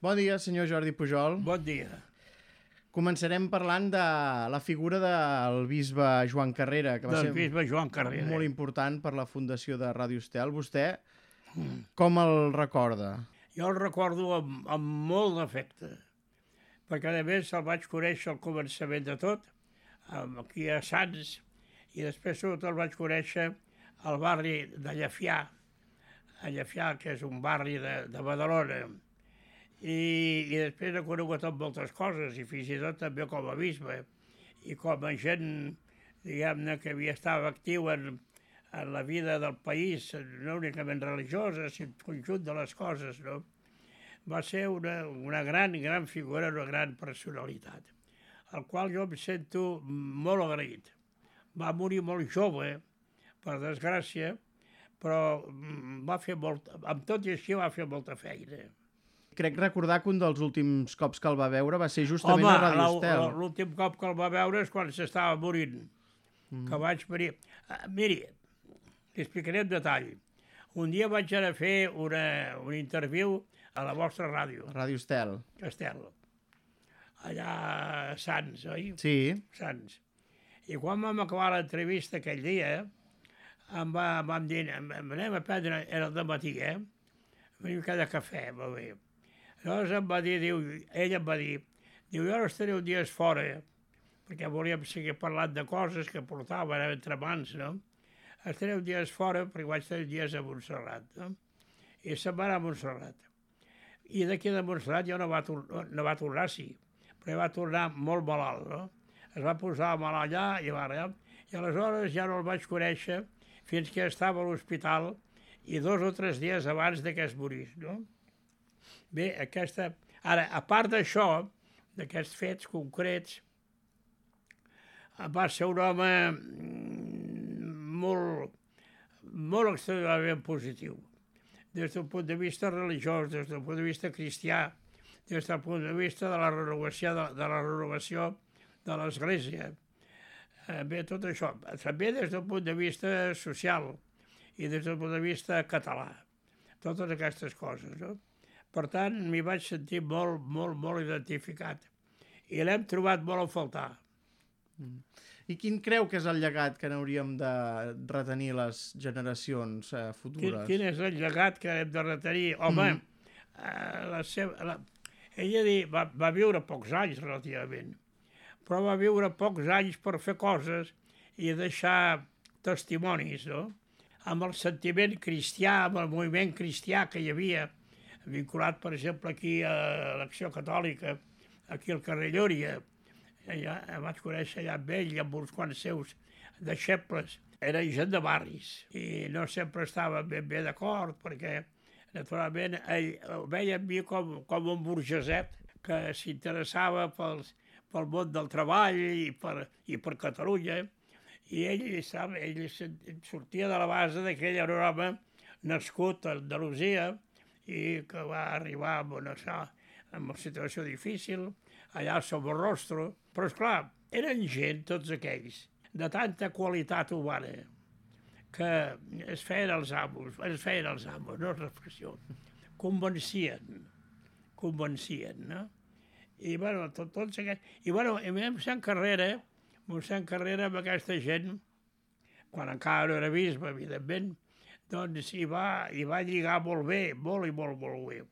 Bon dia, senyor Jordi Pujol. Bon dia. Començarem parlant de la figura del bisbe Joan Carrera, que va Del ser bisbe Joan Carrera. molt important per la fundació de Ràdio Estel. Vostè com el recorda? Jo el recordo amb molt d'afecte, perquè a més el vaig conèixer al començament de tot, aquí a Sants, i després sobretot el vaig conèixer al barri de Llefià, que és un barri de Badalona. I després he conegut amb moltes coses, i fins i tot també com a bisbe, i com a gent, diguem-ne, que havia estat actiu en la vida del país, no únicament religiosa, sinó el conjunt de les coses, no? Va ser una gran figura, una gran personalitat, al qual jo em sento molt agraït. Va morir molt jove, per desgràcia, però amb tot i així va fer molta feina. Crec recordar que un dels últims cops que el va veure va ser justament a Ràdio Estel. Home, l'últim cop que el va veure és quan s'estava morint, que vaig venir. Miri, li explicaré en detall. Un dia vaig anar a fer un interviu a la vostra ràdio, Ràdio Estel. Estel, allà a Sants, oi? Sí. Sants. I quan vam acabar l'entrevista aquell dia, vam dir, anem a prendre, era el dematí, una mica de cafè, va bé. Llavors em va dir, ell em va dir, jo ara estaré uns dies fora, perquè volíem seguir parlant de coses que portaven entre mans, no? Estaré uns dies fora, perquè vaig estar uns dies a Montserrat, no? I se'n va anar a Montserrat. I d'aquí de Montserrat ja no va tornar, sí, però va tornar molt malalt, no? Es va posar malalt allà i aleshores ja no el vaig conèixer fins que estava a l'hospital i 2 o 3 dies abans que es morís, no? Bé, ara, a part d'això, d'aquests fets concrets, va ser un home molt extremadament positiu, des del punt de vista religiós, des del punt de vista cristià, des del punt de vista de la renovació de l'Església. Bé, tot això. També des del punt de vista social i des del punt de vista català. Totes aquestes coses, no? Per tant, m'hi vaig sentir molt identificat. I l'hem trobat molt a faltar. I quin creu que és el llegat que n'hauríem de retenir les generacions futures? Quin és el llegat que hem de retenir? Home, ella va viure pocs anys, relativament, però va viure pocs anys per fer coses i deixar testimonis, no? Amb el sentiment cristià, amb el moviment cristià que hi havia, vinculat, per exemple, aquí a l'Acció Catòlica, aquí al carrer Llúria. Vaig conèixer allà amb ell i amb uns quants seus deixebles. Era gent de barris i no sempre estava ben bé d'acord perquè, naturalment, ell el veia amb mi com un burgeset que s'interessava pel món del treball i per Catalunya. I ell sortia de la base que ell era un home nascut a Andalusia i que va arribar amb una situació difícil, allà al Somorrostro. Però, esclar, eren gent, tots aquells, de tanta qualitat humana, que es feien els amos, no és l'expressió, convencien, no? I, bueno, tots aquests... I, bueno, mossèn Carrera, amb aquesta gent, quan encara no era bisbe, evidentment, doncs hi va lligar molt bé, molt bé.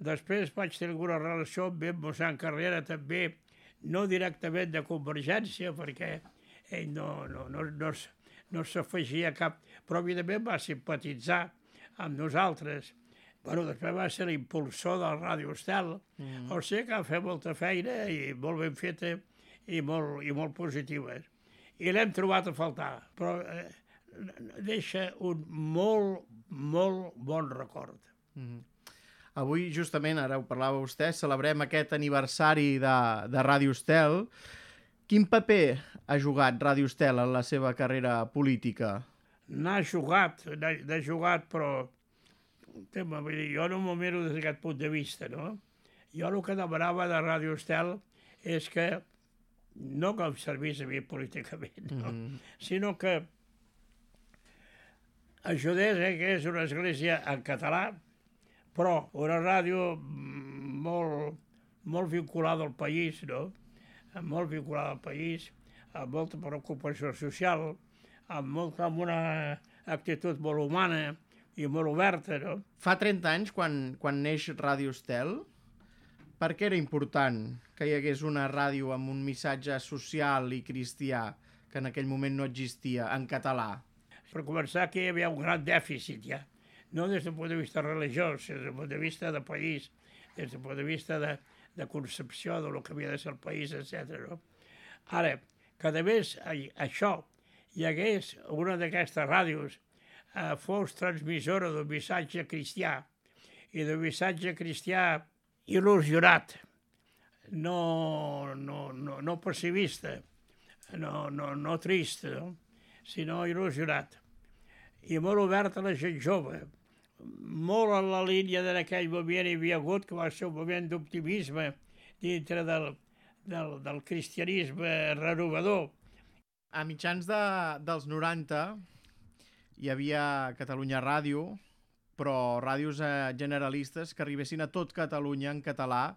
Després vaig tenir alguna relació amb mossèn Carrera també, no directament de Convergència, perquè ell no s'afegia cap, però evidentment va simpatitzar amb nosaltres. Bueno, després va ser l'impulsor del Ràdio Estel, o sigui que va fer molta feina i molt ben feta i molt positiva. I l'hem trobat a faltar, però deixa un molt bon record. Avui, justament, ara ho parlava vostè, celebrem aquest aniversari de Ràdio Estel. Quin paper ha jugat Ràdio Estel en la seva carrera política? N'ha jugat, però jo no m'ho miro des d'aquest punt de vista, no? Jo el que demanava de Ràdio Estel és que, no que em servís a mi políticament, no? Sinó que ajudés que és una església en català, però una ràdio molt vinculada al país, no? Molt vinculada al país, amb molta preocupació social, amb una actitud molt humana i molt oberta, no? Fa 30 anys, quan neix Ràdio Estel, per què era important que hi hagués una ràdio amb un missatge social i cristià que en aquell moment no existia, en català? Per començar, aquí hi havia un gran dèficit, ja. No des del punt de vista religiós, des del punt de vista de país, des del punt de vista de concepció del que havia de ser el país, etc. No? Ara, que a més això hi hagués una d'aquestes ràdios fos transmissora d'un missatge cristià i d'un missatge cristià il·lusionat, no pessimista, no trist, no? Sinó il·lusionat i molt obert a la gent jove, molt en la línia d'aquell moment hi havia hagut, que va ser un moment d'optimisme dintre del cristianisme renovador. A mitjans dels 90 hi havia Catalunya Ràdio, però ràdios generalistes que arribessin a tot Catalunya en català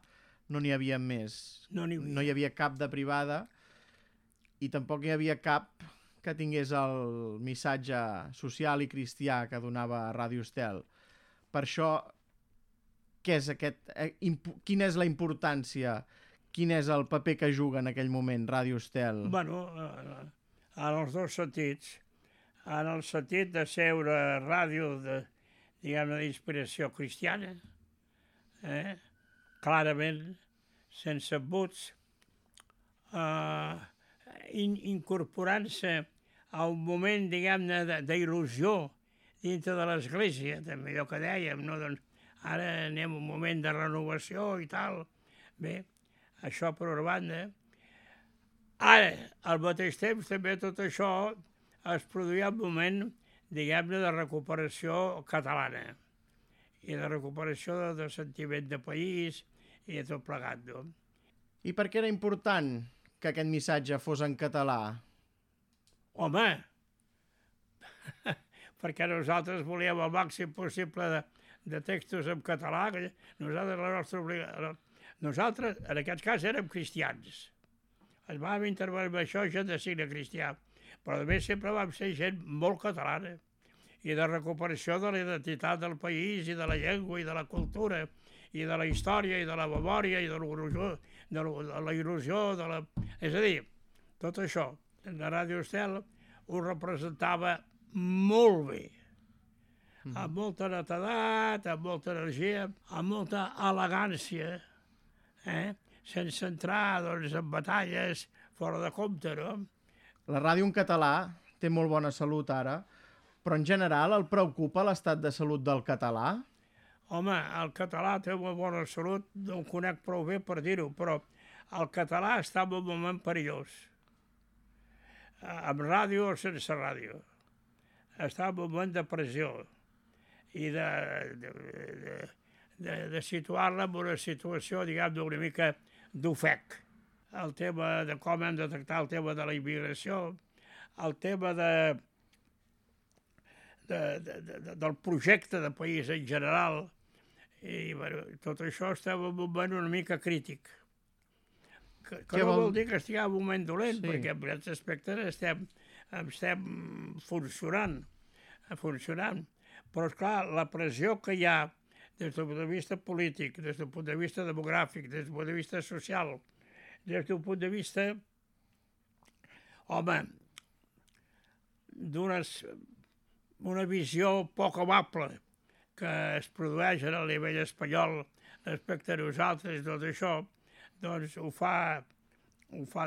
no n'hi havia més. No hi havia cap de privada i tampoc hi havia cap que tingués el missatge social i cristià que donava Ràdio Estel. Per això, què és quina és la importància, quin és el paper que juga en aquell moment Ràdio Estel? Bueno, en els dos sentits. En el sentit de ser una ràdio d'inspiració cristiana, clarament, sense embuts, incorporant-se a un moment, d'il·lusió dintre de l'Església, també allò que dèiem, no? Doncs ara anem a un moment de renovació i tal. Bé, això per una banda. Ara, al mateix temps, també tot això es produïa un moment, de recuperació catalana i de recuperació de sentiment de país i de tot plegat, no? I per què era important que aquest missatge fos en català? Home, perquè nosaltres volíem el màxim possible de textos en català. Nosaltres, en aquest cas, érem cristians. Ens vam intervenir amb això, gent de signe cristià. Però a més sempre vam ser gent molt catalana i de recuperació de la identitat del país i de la llengua i de la cultura i de la història i de la memòria i de la il·lusió. És a dir, tot això, la Ràdio Estel ho representava molt bé, amb molta netedat, amb molta energia, amb molta elegància, sense entrar en batalles fora de compte, no? La ràdio en català té molt bona salut ara, però en general el preocupa l'estat de salut del català? Home, el català té molt bona salut, no ho conec prou bé per dir-ho, però el català està en un moment perillós. Amb ràdio o sense ràdio. Està en un moment de pressió i de situar-la en una situació, una mica d'ofec. El tema de com hem de tractar el tema de la immigració, el tema del projecte de país en general, i tot això està en un moment una mica crític. Que no vol dir que estigui en un moment dolent, perquè en aquests aspectes estem funcionant. Però, esclar, la pressió que hi ha des del punt de vista polític, des del punt de vista demogràfic, des del punt de vista social, des d'un punt de vista, home, d'una visió poc amable que es produeix a nivell espanyol respecte a nosaltres, tot això, doncs ho fa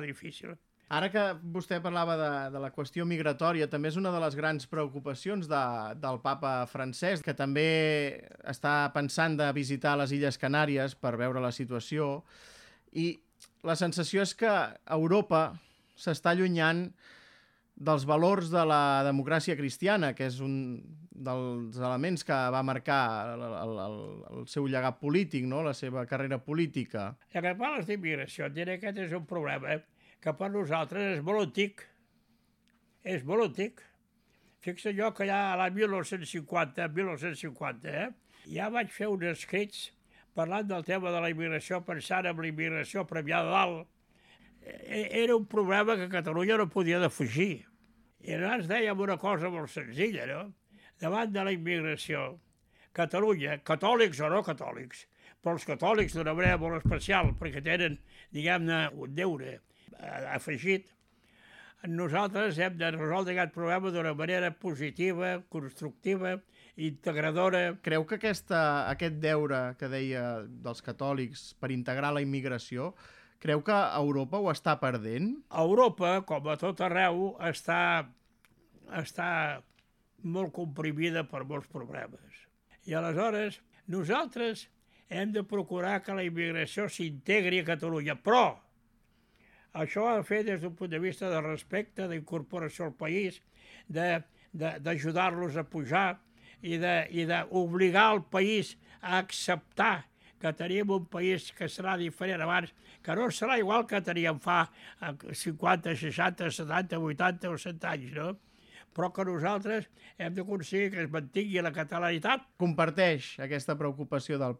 difícil. Ara que vostè parlava de la qüestió migratòria, també és una de les grans preocupacions del papa francès, que també està pensant de visitar les Illes Canàries per veure la situació, i la sensació és que Europa s'està allunyant dels valors de la democràcia cristiana, que és un dels elements que va marcar el seu llegat polític, no? La seva carrera política. Ja que parles d'immigració, et diré que aquest és un problema que per nosaltres és molt antic. És molt antic. Fixa jo que ja l'any 1950, ja vaig fer uns escrits parlant del tema de la immigració, pensant en la immigració premiada dalt, era un problema que Catalunya no podia defugir. I nosaltres dèiem una cosa molt senzilla, no? Davant de la immigració, Catalunya, catòlics o no catòlics, però els catòlics d'una manera molt especial, perquè tenen, diguem-ne, un deure afegit, nosaltres hem de resoldre aquest problema d'una manera positiva, constructiva, integradora. Creu que aquest deure que deia dels catòlics per integrar la immigració, creu que Europa ho està perdent? Europa, com a tot arreu, està molt comprimida per molts problemes. I aleshores nosaltres hem de procurar que la immigració s'integri a Catalunya, però això ho ha de fer des d'un punt de vista de respecte, d'incorporació al país, d'ajudar-los a pujar i d'obligar el país a acceptar que tenim un país que serà diferent abans, que no serà igual que teníem fa 50, 60, 70, 80 o 100 anys, no? Però que nosaltres hem d'aconseguir que es mantingui la catalanitat. Comparteix aquesta preocupació del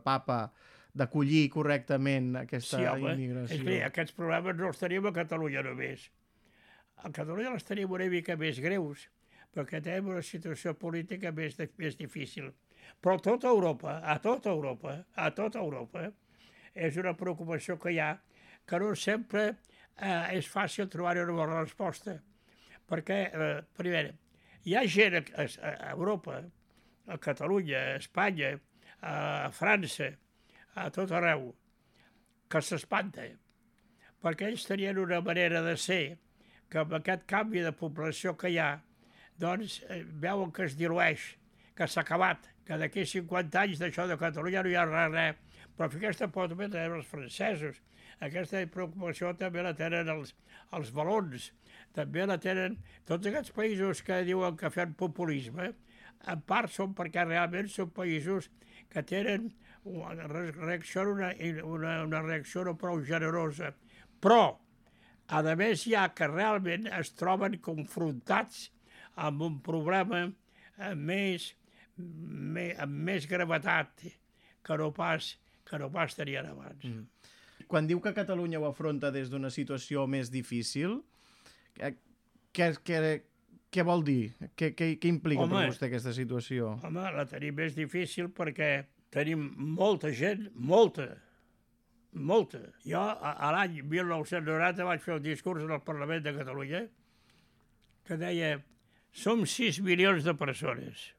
papa d'acollir correctament aquesta immigració? És que aquests problemes no els tenim a Catalunya només. A Catalunya els tenim una mica més greus, perquè tenim una situació política més difícil. Però a tota Europa, és una preocupació que hi ha, que no sempre és fàcil trobar-hi una bona resposta. Perquè, primer, hi ha gent a Europa, a Catalunya, a Espanya, a França, a tot arreu, que s'espanta, perquè ells tenien una manera de ser que amb aquest canvi de població que hi ha, doncs veuen que es dilueix, que s'ha acabat, que d'aquí 50 anys d'això de Catalunya no hi ha res. Però aquesta por també tenen els francesos, aquesta preocupació també la tenen els valons, també la tenen tots aquests països que diuen que fan populisme, en part són perquè realment són països que tenen una reacció no prou generosa. Però, a més, hi ha que realment es troben confrontats amb un problema amb més gravetat que no pas tenien abans. Quan diu que Catalunya ho afronta des d'una situació més difícil, què vol dir? Què implica per vostè aquesta situació? Home, la tenim més difícil perquè tenim molta gent, molta. Jo, a l'any 1990, vaig fer un discurs en el Parlament de Catalunya que deia: som 6 milions de persones.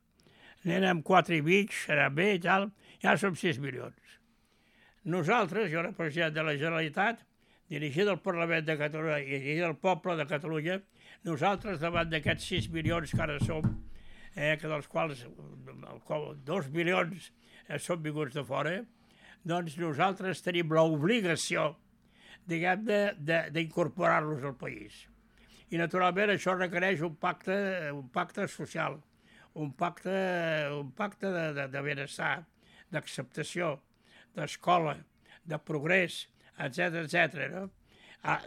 N'érem 4 i mig, serà bé i tal, ja som 6 milions. Nosaltres, jo era president de la Generalitat, dirigit al Parlament de Catalunya i dirigit al poble de Catalunya, nosaltres, davant d'aquests 6 milions que ara som, que dels quals 2 milions són vinguts de fora, doncs nosaltres tenim l'obligació, diguem-ne, d'incorporar-los al país. I, naturalment, això requereix un pacte social, un pacte de benestar, d'acceptació, d'escola, de progrés, etc. No?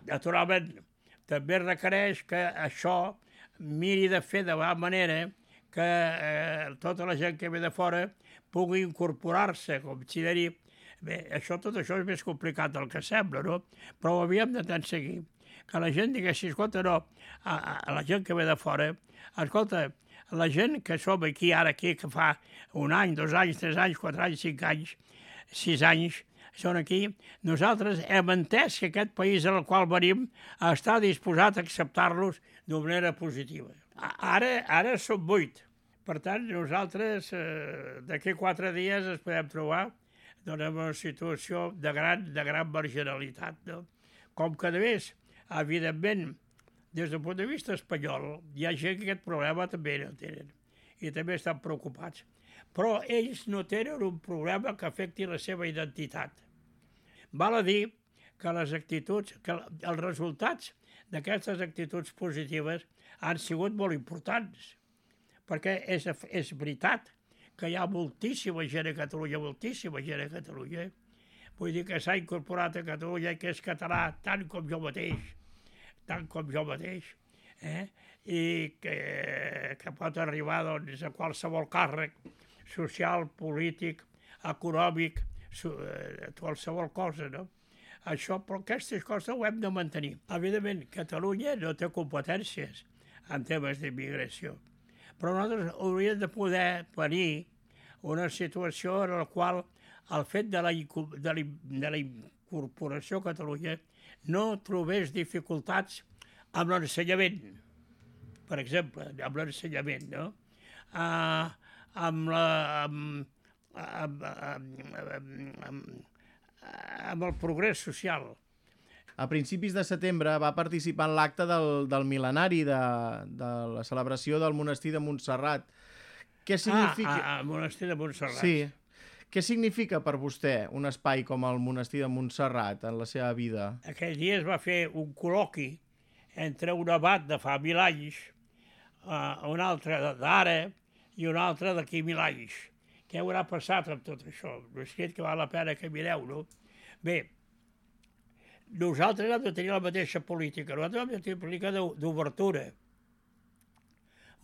Naturalment, també requereix que això miri de fer de la manera que tota la gent que ve de fora pugui incorporar-se, com si de dir. Bé, tot això és més complicat del que sembla, no? Però ho havíem d'aconseguir. Que la gent diguessi, escolta, no, a la gent que ve de fora, escolta, la gent que som aquí, ara aquí, que fa 1 any, 2 anys, 3 anys, 4 anys, 5 anys, 6 anys, són aquí, nosaltres hem entès que aquest país en el qual venim està disposat a acceptar-los d'una manera positiva. Ara som 8. Per tant, nosaltres d'aquí 4 dies ens podem trobar en una situació de gran marginalitat. No? Com que, a més, evidentment, des del punt de vista espanyol, hi ha gent que aquest problema també no tenen i també estan preocupats. Però ells no tenen un problema que afecti la seva identitat. Val a dir que els resultats d'aquestes actituds positives han sigut molt importants, perquè és veritat que hi ha moltíssima gent a Catalunya, Vull dir que s'ha incorporat a Catalunya, que és català tant com jo mateix, i que pot arribar doncs, a qualsevol càrrec social, polític, econòmic, qualsevol cosa, no? Això, però aquestes coses ho hem de mantenir. Evidentment, Catalunya no té competències en temes d'immigració, però nosaltres hauríem de poder venir una situació en la qual el fet de la incorporació a Catalunya no trobés dificultats amb l'ensenyament, per exemple, amb l'ensenyament, no? Amb el progrés social. A principis de setembre va participar en l'acte del mil·lenari de la celebració del monestir de Montserrat. Què significa... El monestir de Montserrat. Sí. Què significa per vostè un espai com el monestir de Montserrat en la seva vida? Aquell dia es va fer un col·loqui entre un abat de fa 1000 anys, un altre d'ara i un altre d'aquí 1000 anys. Què haurà passat amb tot això? No és que val la pena que mireu, no? Bé, nosaltres hem de tenir la mateixa política. Nosaltres hem de tenir política d'obertura.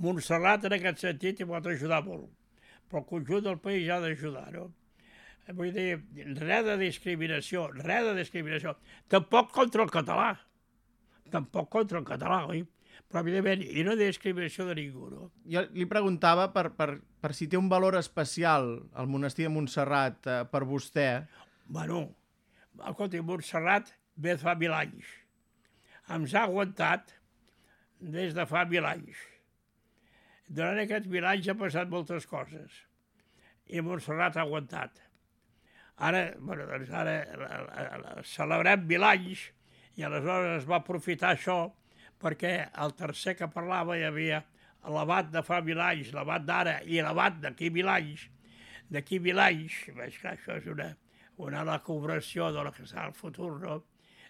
Montserrat, en aquest sentit, hi pot ajudar molt, però el conjunt del país ha d'ajudar, no? Vull dir, res de discriminació, res de discriminació. Tampoc contra el català. Tampoc contra el català, oi? Però, evidentment, i no discriminació de ningú, no? Jo li preguntava per si té un valor especial el monestir de Montserrat per vostè. Bueno, escolta, Montserrat ve de fa 1000 anys. Ens ha aguantat des de fa 1000 anys. Durant aquests 1000 anys ha passat moltes coses i Montserrat ha aguantat. Ara, bueno, doncs ara celebrem 1000 anys i aleshores es va aprofitar això perquè el tercer que parlava hi havia l'abat de fa 1000 anys, l'abat d'ara i l'abat d'aquí 1000 anys. D'aquí 1000 anys, veig que això és una elucubració de lo que serà el futur, no?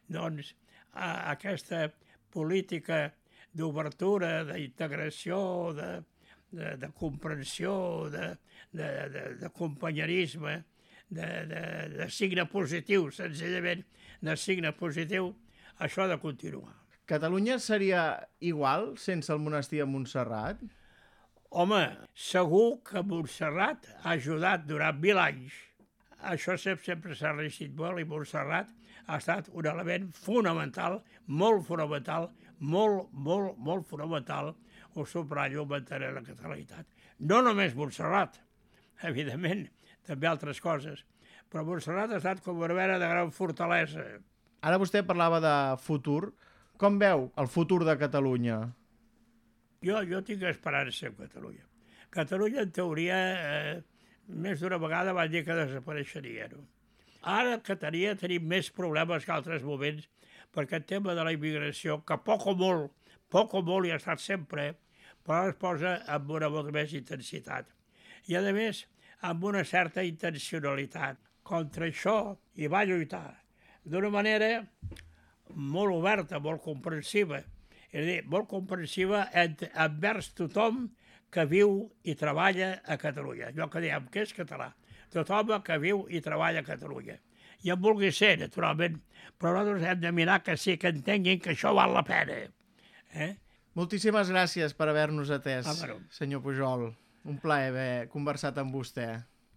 Doncs aquesta política d'obertura, d'integració, de comprensió, de companyerisme, de signe positiu, senzillament de signe positiu, això ha de continuar. Catalunya seria igual sense el monestir de Montserrat? Home, segur que Montserrat ha ajudat durant 1000 anys. Això sempre s'ha regit molt i Montserrat ha estat un element fonamental, molt fonamental, molt fonamental, ho subratllo, mantenir la catalanitat. No només Montserrat, evidentment, també altres coses, però Montserrat ha estat com una mena de gran fortalesa. Ara vostè parlava de futur. Com veu el futur de Catalunya? Jo tinc esperança en Catalunya. Catalunya, en teoria, més d'una vegada va dir que desapareixeria, no? Ara que tenim més problemes que altres moments, perquè el tema de la immigració, que poc o molt hi ha estat sempre, però ara es posa amb una molta més intensitat. I, a més, amb una certa intencionalitat. Contra això hi va lluitar d'una manera molt oberta, molt comprensiva. És a dir, molt comprensiva envers tothom que viu i treballa a Catalunya. Allò que diem que és català. Tothom que viu i treballa a Catalunya. I en vulgui ser, naturalment, però nosaltres hem de mirar que sí, que entenguin que això val la pena. Moltíssimes gràcies per haver-nos atès, senyor Pujol. Un plaer haver conversat amb vostè.